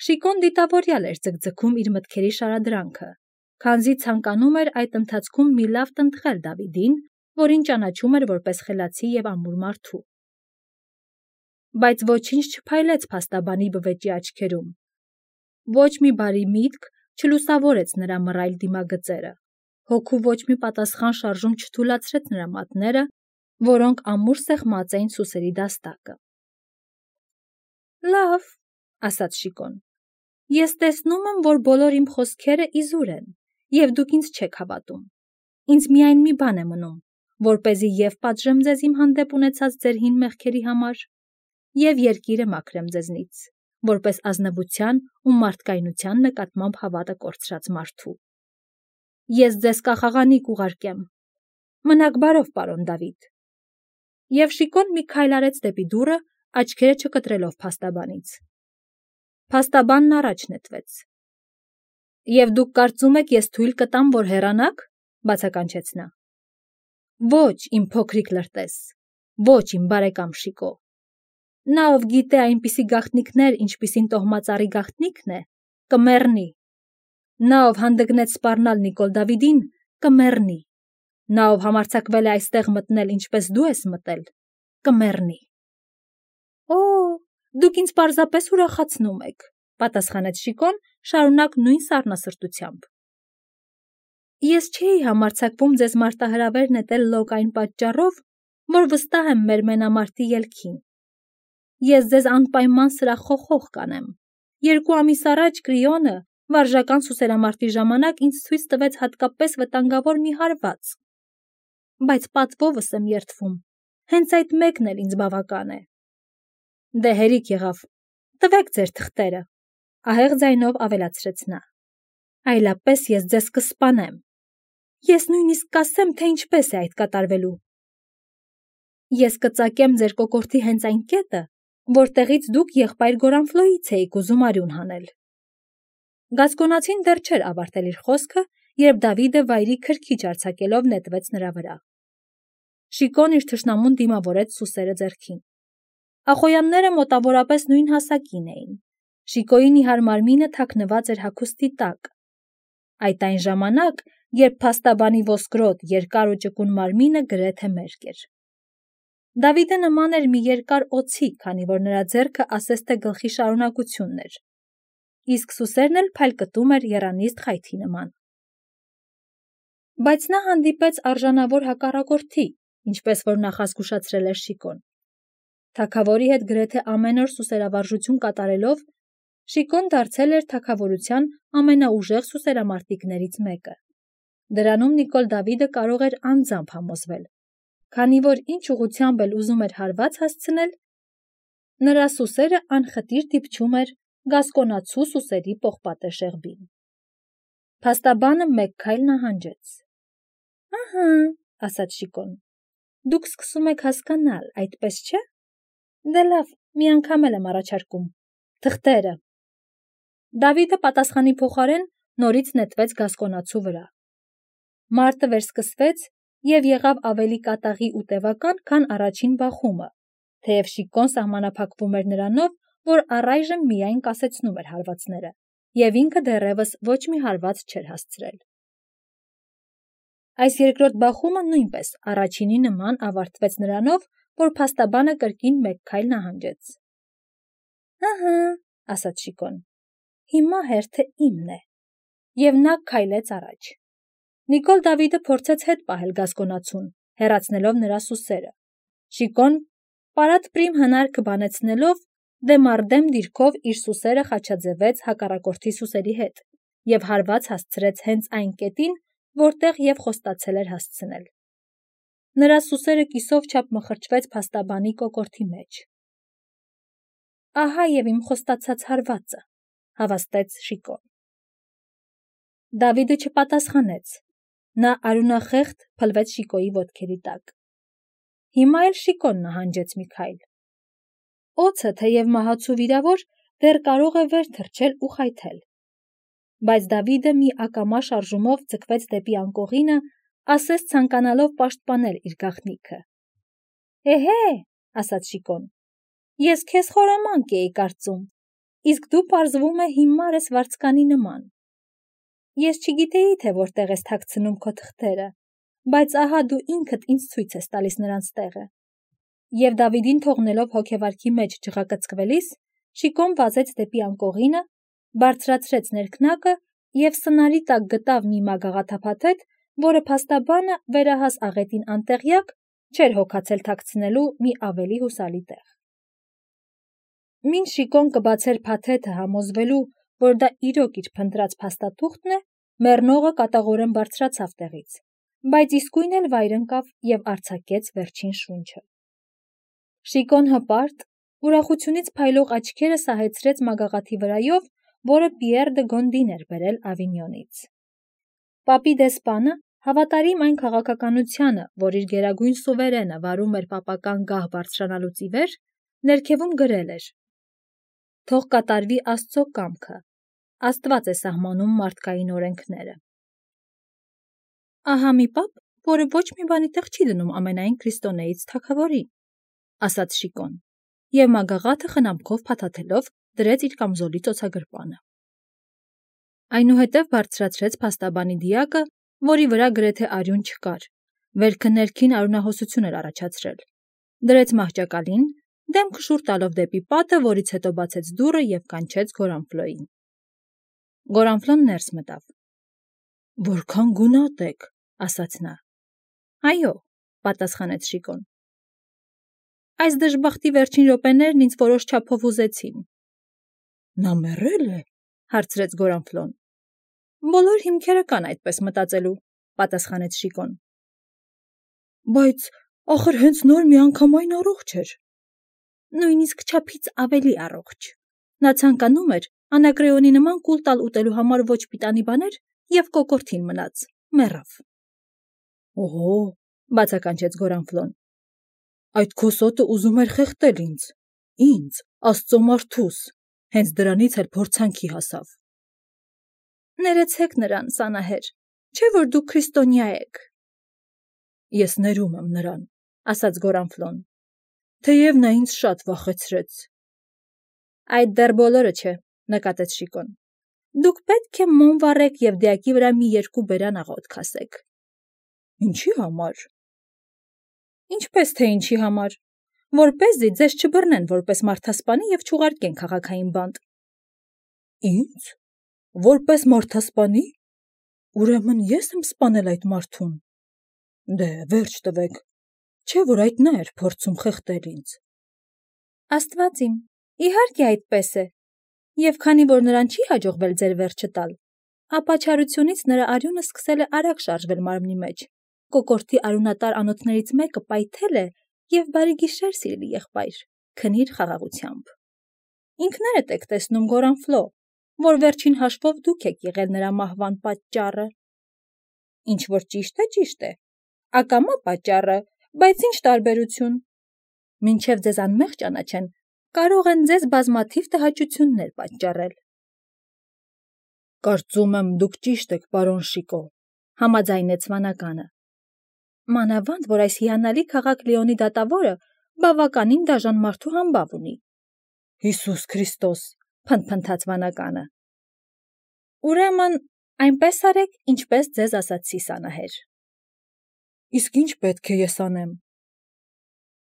Շիկոն դիտավորյալ էր ձգձգում իր մտքերի շարադրանքը, քանզի ցանկանում էր այդ ընթացքում մի լավ տնտղել Դավիդին, որին ճանաչում էր որպես խելացի և ամուր մարդու։ Բայց ոչինչ չփայլեց փաստաբանի բվեճի աչքերում։ Ոչ մի բարի միտք չլուսավորեց նրա մռայլ դիմագծերը, հոգու ոչ մի պատասխան շարժում չթուլացրեց նրա մատները, որոնք ամուր սեղմած էին սուսերի դաստակը։ Լավ, ասաց Շիկոն, ես տեսնում եմ, որ բոլոր իմ խոսքերը իզուր են, և դուք ինձ չեք հավատում։ Ինձ միայն մի բան է մնում, որպեսզի և պատժեմ ձեզ իմ հանդեպ ունեցած ձեր հին մեղքերի համար, և երկիրը մաքրեմ ձեզնից, որպես ազնվության ու մարդկայնության նկատմամբ հավատը կորցրած մարդու։ Ես ձեզ կախաղանիկ ուղարկեմ։ Մնաք բարով, պարոն Դավիթ։ Եվ Շիկոն մի քայլ արեց դեպի դուռը, աչքերը չկտրելով փաստաբանից։ Փաստաբանն առաջ նետվեց։ Եվ դուք կարծում եք, ես թույլ կտամ, որ հեռանաք, բացականչեց նա։ Ոչ, իմ փոքրիկ լրտես, ոչ, իմ բարեկամ Շիկո։ Նա, ով գիտե այնպիսի գաղտնիքներ, ինչպիսին տոհմածառի գաղտնիքն է, կմեռնի։ Նա, ով հանդգնեց սպառնալ Նիկոլ Դավիդին, կմեռնի։ Նա, ով համարձակվել է այստեղ մտնել, ինչպես դու ես մտել, կմեռնի։ Օ, դուք ինձ պարզապես ուրախացնում եք, պատասխանեց Շիկոն, շարունակ նույն սառնասրտությամբ։ Ես չէի համարձակվում ձեզ մարտահրավեր նետել լոկ այն պատճառով, որ վստահ եմ մեր մենամարտի ելքին։ Ես ձեզ անպայման սրախ խոխող կանեմ։ 2 ամիս առաջ Կրիոնը վարժական սուսերամարտի ժամանակ ինձ ցույց տվեց հատկապես վտանգավոր մի հարված։ Բայց պատվովս եմ երդվում, հենց այդ մեկն էլ ինձ բավական է։ Դե հերիք եղավ, տվեք ձեր թղթերը, ահեղ ձայնով ավելացրեց նա։ Այլապես ես ձեզ կսպանեմ։ Ես նույնիսկ կասեմ, թե ինչպես է այդ կատարվելու։ Ես կծակեմ ձեր կոկորդի հենց այն կետը, որտեղից դուք եղբայր Գորանֆլոյից էիք ուզում արյուն հանել։ Գասկոնացին դեռ չէր ավարտել իր խոսքը, երբ Դավիդը վայրի քրքիջ արձակելով նետվեց նրա վրա։ Շիկոն իր թշնամուն դիմավորեց սուսերը ձեռքին։ Ախոյանները մոտավորապես նույն հասակին էին։ Շիկոյի նիհար մարմինը թաքնված էր հագուստի տակ։ Այդ այն ժամանակ, երբ փաստաբանի ոսկրոտ, երկար ու ճկուն մարմինը գրեթե մերկ էր։ Դավիդը նման էր մի երկար օձի, քանի որ նրա ձեռքը ասես թե գլխի շարունակությունն էր, իսկ սուսերն էլ փայլկտում էր եռանիստ խայթի նման։ Բայց նա հանդիպեց արժանավոր հակառակորդի, ինչպես որ նախազգուշացրել էր Շիկոն։ Թագավորի հետ գրեթե ամեն օր սուսերավարժություն կատարելով, Շիկոն դարձել էր թագավորության ամենաուժեղ սուսերամարտիկներից մեկը։ Դրանում Նիկոլ Դավիդը կարող էր անձամբ համոզվել, քանի որ ինչ ուղղությամբ էլ ուզում էր հարված հասցնել, նրա սուսերը անխտիր դիպչում էր գասկոնացու սուսերի պողպատե շեղբին։ Փաստաբանը մեկ քայլ նահանջեց։ Ահա, ասաց Շիկոն, դուք սկսում եք հասկանալ, այդպես չէ։ Դե լավ, մի անգամ էլ եմ առաջարկում։ Թղթերը։ Դավիդը պատասխանի փոխարեն նորից նետվեց գասկոնացու վրա։ Մարտը վերսկսվեց և եղավ ավելի կատաղի ու տևական, քան առաջին բախումը, թեև Շիկոն սահմանափակվում էր նրանով, որ առայժմ միայն կասեցնում էր հարվածները, և ինքը դեռևս ոչ մի հարված չէր հասցրել։ Այս երկրորդ բախումը նույնպես առաջինի նման ավարտվեց նրանով, որ փաստաբանը կրկին մեկ քայլ նահանջեց։ Ահա, ասաց Շիկոն, հիմա հերթը իմն է։ Եվ նա քայլեց առաջ։ Նիկոլ Դավիդը փորձեց հետ պահել գասկոնացուն, հեռացնելով նրա սուսերը։ Շիկոն պարատ-պրիմ հնարքը բանեցնելով, դեմառդեմ դիրքով իր սուսերը խաչաձևեց հակառակորդի սուսերի հետ և հարված հասցրեց հենց այն կետին, որտեղ և խոստացել էր հասցնել։ Նրա սուսերը կիսով չափ մխրճվեց փաստաբանի կոկորդի մեջ։ Ահա և իմ խոստացած հարվածը, հավաստեց Շիկոն։ Դավիդը չպատասխանեց։ Նա արյունախեղդ փլվեց Շիկոյի ոտքերի տակ։ Հիմա էլ Շիկոն նահանջեց մի քայլ։ Օձը, թեև մահացու վիրավոր, դեռ կարող է վեր թռչել ու խայթել։ Բայց Դավիդը մի ակամա շարժումով ձգվեց դեպի անկողինը, ասես ցանկանալով պաշտպանել իր գաղտնիքը։ Էհե, ասաց Շիկոն, ես քեզ խորամանկ էի կարծում։ իսկ դու պարզվում է հիմար ես վարձկանի նման։ Ես չգիտեի, թե որտեղ ես թաքցնում քո թղթերը, բայց ահա դու ինքդ ինձ ցույց ես տալիս նրանց տեղը։ Եվ Դավիդին թողնելով հոգեվարքի մեջ ջղակցկվելիս, Շիկոն վազեց դեպի անկողինը, բարձրացրեց ներքնակը և սնարի տակ գտավ մի մագաղաթափաթեթ, որը փաստաբանը վերահաս աղետին անտեղյակ չէր հոգացել թաքցնելու մի ավելի հուսալի տեղ։ Մինչ Շիկոն կբացեր փաթեթը համոզվելու, որ դա իրոք իր փնտրած փաստաթուղթն է, մեռնողը կատաղորեն բարձրացավ տեղից, բայց իսկույն էլ վայր ընկավ և արձակեց վերջին շունչը։ Շիկոն հպարտ, ուրախությունից փայլող աչքերը սահեցրեց մագաղաթի վրայով, որը Պիեր դը Գոնդին էր բերել Ավինյոնից։ Պապի դեսպանը, հավատարիմ այն քաղաքականությանը, որ իր գերագույն սուվերենը վարում էր պապական գահ բարձրանալուց ի վեր, ներքևում գրել էր. «Թող կատարվի Աստծո կամքը, Աստված է սահմանում մարդկային օրենքները»։ Ահա մի պապ, որը ոչ մի բանի տեղ չի դնում ամենայն քրիստոնեից թագավորին, ասաց Շիկոն, և մագաղաթը խնամքով փաթաթելով դրեց իր կամզոլի ծոցագրպանը։ Այնուհետև բարձրացրեց փաստաբանի դիակը, որի վրա գրեթե արյուն չկար, վերքը ներքին արյունահոսություն էր առաջացրել, դրեց մահճակալին, դեմքը շուռ տալով դեպի պատը, որից հետո բացեց դուռը և կանչեց Գորանֆլոյին։ Գորանֆլոն ներս մտավ։ «Որքան գունատ եք», ասաց նա։ «Այո», պատասխանեց Շիկոն։ «Այս դժբախտի վերջին րոպեներն ինձ որոշ չափով ուզեցին»։ «Նա մեռե՞լ է», հարցրեց Գորանֆլոն։ «Բոլոր հիմքերը կան այդպես մտածելու», պատասխանեց Շիկոն։ «Բայց ախր հենց նոր միանգամայն առողջ էր»։ «Նույնիսկ չափից ավելի առողջ։ Նա ցանկանում էր Անակրեոնի նման կուլ տալ ուտելու համար ոչ պիտանի բաներ և կոկորդին մնաց, մեռավ»։ «Օհո», բացականչեց Գորանֆլոն, «այդ քո սոտը ուզում էր խեղդել ինձ, Աստծո մարդուս, հենց դրանից էլ փորձանքի հասավ»։ «Ներեցեք նրան, Սանահեր, չէ՞ որ դուք քրիստոնյա եք»։ «Ես ներում եմ նրան», ասաց Գորանֆլոն, «թեև նա ինձ շատ վախեցրեց»։ «Այդ դեռ բոլորը չէ», նկատեց Շիկոն։ «Դուք պետք է մոմ վառեք և դիակի վրա մի 2 բերան աղոթք ասեք»։ «Ինչի համար»։ «Ինչպես թե ինչի համար, որպեսզի ձեզ չբռնեն որպես մարդասպանի և չուղարկեն քաղաքային բանտ»։ «Ինձ, որպես մարդասպանի, ուրեմն ես եմ սպանել այդ մարդուն։ Դե վերջ տվեք, չէ՞ որ այդ նա էր փորձում խեղդել ինձ»։ «Աստված իմ, իհարկե այդպես է, և քանի որ նրան չի հաջողվել ձեր վերջը տալ, ապա չարությունից նրա արյունը սկսել է արագ շարժվել մարմնի մեջ, կոկորդի արյունատար անոթներից մեկը պայթել է և բարի գիշեր, սիրելի եղբայր, քնիր խաղաղությամբ։ Ինքներդ եք տեսնում, Գորանֆլո, որ վերջին հաշվով դուք եք եղել նրա մահվան պատճառը։ Ինչ որ ճիշտ է, ակամա պատճառը, բայց ինչ տարբերություն։ Մինչև ձեզ անմեղ ճանաչեն, կարող են ձեզ բազմաթիվ տհաճություններ պատճառել։ «Կարծում եմ, դուք ճիշտ եք, պարոն Շիկո», համաձայնեց վանականը։ «Մանավանդ, որ այս հիանալի քաղաք Լիոնի դատավորը բավականին դաժան մարդու համբավ ունի»։ «Հիսուս Քրիստոս», փնթփնթաց վանականը։ «Ուրեմն այնպես արեք, ինչպես ձեզ ասացի, Սանահեր»։ «Իսկ ինչ պետք է ես անեմ»։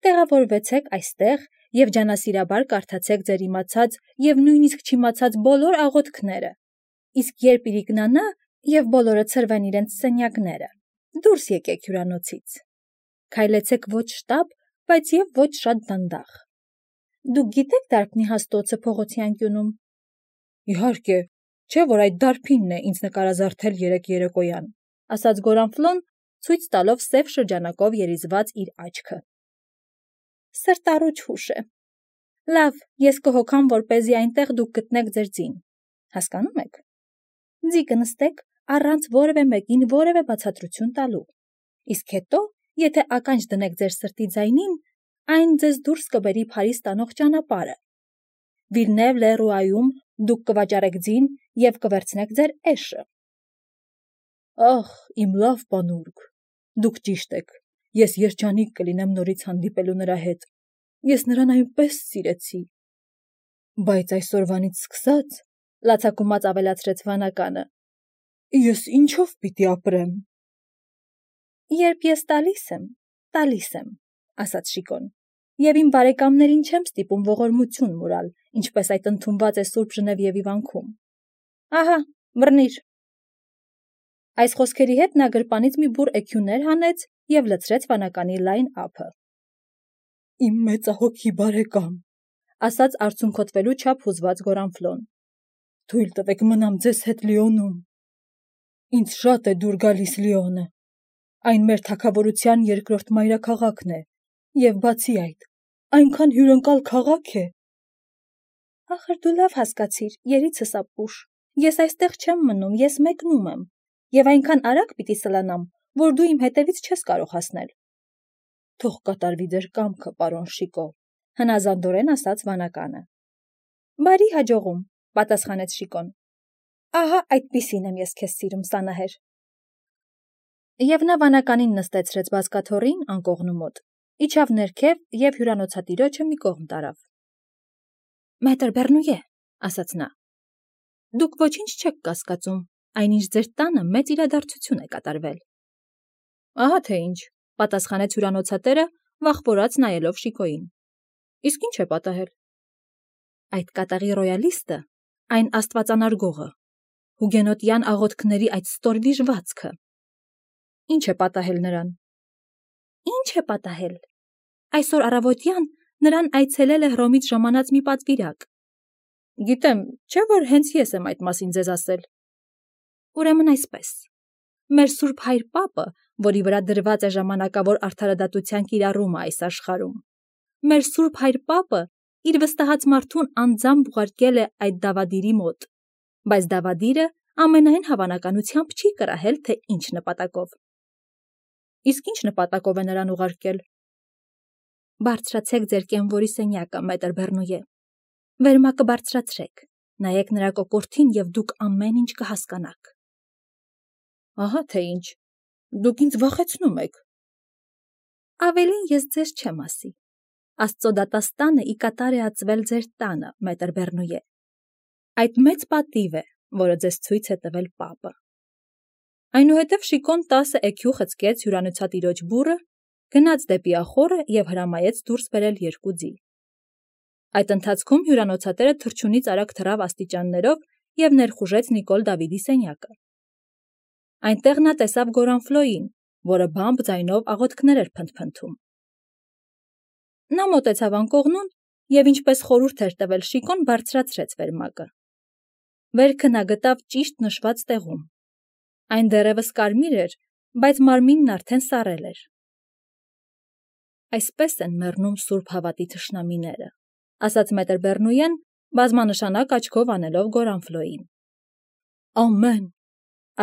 «Տեղավորվեցեք այստեղ և ջանասիրաբար կարդացեք ձեր իմացած և նույնիսկ չիմացած բոլոր աղոթքները, իսկ երբ իրիկնանա և բոլորը ցրվեն իրենց սենյակները, դուրս եկեք հյուրանոցից։ Քայլեցեք ոչ շտապ, բայց և ոչ շատ դանդաղ։ Դուք գիտե՞ք դարբնի հաստոցը փողոցի անկյունում»։ «Իհարկե, չէ՞ որ այդ դարբինն է ինձ նկարազարդել երեկ երեկոյան», ասաց Գորանֆլոն, ցույց տալով սև շրջանակով երիզված իր աչքը։ «Սրտառուչ հուշ է։ Լավ, ես կհոգամ, որպեսզի այնտեղ դուք գտնեք ձեր ձին, հասկանո՞ւմ եք։ Ձի կնստեք առանց որևէ մեկին որևէ բացատրություն տալու, իսկ հետո, եթե ականջ դնեք ձեր սրտի ձայնին, այն ձեզ դուրս կբերի Փարիզ տանող ճանապարհը։ Վիլնև լե դուք կվաճառեք ձին և կվերցնեք ձեր էշը»։ «Ախ, իմ լավ պանուրք, դուք ճիշտ եք, ես երջանիկ կլինեմ նորից հանդիպելու նրա հետ, ես նրան այնպես սիրեցի»։ Բայց այսօրվանից սկսած, լացակումած ավելացրեց վանականը, ես ինչով պիտի ապրեմ։ Երբ ես տալիս եմ, ասաց Շիկոն, եւ իմ բարեկամներին չեմ ստիպում ողորմություն մուրալ, ինչպես այդ ընդունված է Սուրբ Ժնևիևի վանքում։ Ահա, բռնիր։ Այս խոսքերի հետ նա գրպանից մի բուռ էքյուներ հանեց եւ լցրեց վանականի լայն ափը։ Իմ մեծահոգի բարեկամ, ասաց արցունքոտվելու չափ հուզված Գորանֆլոն, թույլ տվեք մնամ ձեզ հետ Լիոնում։ Ինձ շատ է դուր գալիս Լիոնը։ Այն մեր թագավորության երկրորդ մայրաքաղաքն է, եւ բացի այդ, այնքան հյուրընկալ քաղաք է։ Ախր դու լավ հասկացիր, երիցս ապուշ, ես այստեղ չեմ մնում, ես մեկնում եմ, եւ այնքան արագ պիտի սլանամ, որ դու իմ հետևից չես կարող հասնել։ Թող կատարվի ձեր կամքը, պարոն Շիկո, հնազանդորեն ասաց վանականը։ Բարի հաջողում, պատասխանեց Շիկոն։ Ահա այդպիսին եմ ես քեզ սիրում, Սանահեր։ Եվ նա վանականին նստեցրեց բազկաթոռին անկողնու մոտ, իջավ ներքև եւ հյուրանոցատիրոջը մի կողմ տարավ։ Մետր Բեռնուե, ասաց նա, դուք ոչինչ չեք կասկածում, այնինչ ձեր տանը մեծ իրադարձություն է կատարվել։ Ահա թե ինչ, պատասխանեց հյուրանոցատերը, վախվորած նայելով Շիկոյին։ Իսկ ինչ է պատահել։ Այդ կատաղի ռոյալիստը, այն աստվածանարգողը, հուգենոտյան աղոթքների այդ ստոր վիժվածքը։ Ինչ է պատահել նրան։ Ինչ է պատահել։ Այսօր առավոտյան նրան այցելել է Հռոմից ժամանած մի պատվիրակ։ Գիտեմ, չէ՞ որ հենց ես եմ այդ մասին ձեզ ասել։ Ուրեմն այսպես։ Մեր Սուրբ Հայր Պապը, որի վրա դրված է ժամանակավոր արդարադատության կիրառումը այս աշխարհում, մեր Սուրբ Հայր Պապը իր վստահած մարդուն անձամբ ուղարկել է այդ դավադիրի մոտ, բայց դավադիրը ամենայն հավանականությամբ չի կրահել, թե ինչ նպատակով։ Իսկ ինչ նպատակով է նրան ուղարկել։ Բարձրացեք ձեր կենվորի սենյակը, մետր Բեռնուե։ Վերմակը բարձրացրեք, նայեք նրա կոկորդին եւ դուք ամեն ինչ կհասկանաք։ Ահա թե ինչ, դուք ինձ վախեցնում եք։ Ավելին ես ձեզ չեմ ասի։ Աստծո դատաստանը ի կատար է ածվել ձեր տանը, մետր Բեռնուե։ Այդ մեծ պատիվ է, որը ձեզ ցույց է տվել Պապը։ Այնուհետև Շիկոն 10 էքյու խցկեց հյուրանոցատիրոջ բուռը, գնաց դեպի ախոռը եւ հրամայեց դուրս բերել 2 ձի։ Այդ ընթացքում հյուրանոցատերը թռչունից արագ թռավ աստիճաններով եւ ներխուժեց Նիկոլ Դավիդի սենյակը։ Այնտեղ նա տեսավ Գորանֆլոյին, որը բամբ ձայնով աղոթքներ էր փնթփնթում։ Նա մոտեցավ անկողնուն եւ ինչպես խորհուրդ էր տվել Շիկոն, բարձրացրեց վերմակը։ Վերքը նա գտավ ճիշտ նշված տեղում։ Այն դեռևս կարմիր էր, բայց մարմինն արդեն սառել էր։ Այսպես են մեռնում սուրբ հավատի թշնամիները, ասաց մետր Բեռնուեն, բազմանշանակ աչքով անելով Գորանֆլոյին։ Ամեն,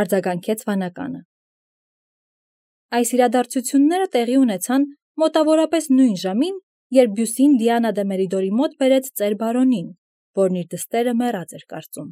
արձագանքեց վանականը։ Այս իրադարձությունները տեղի ունեցան մոտավորապես նույն ժամին, երբ Բյուսին Դիանա դե Մերիդորի մոտ բերեց ծեր բարոնին, որն իր դստերը մեռած էր կարծում։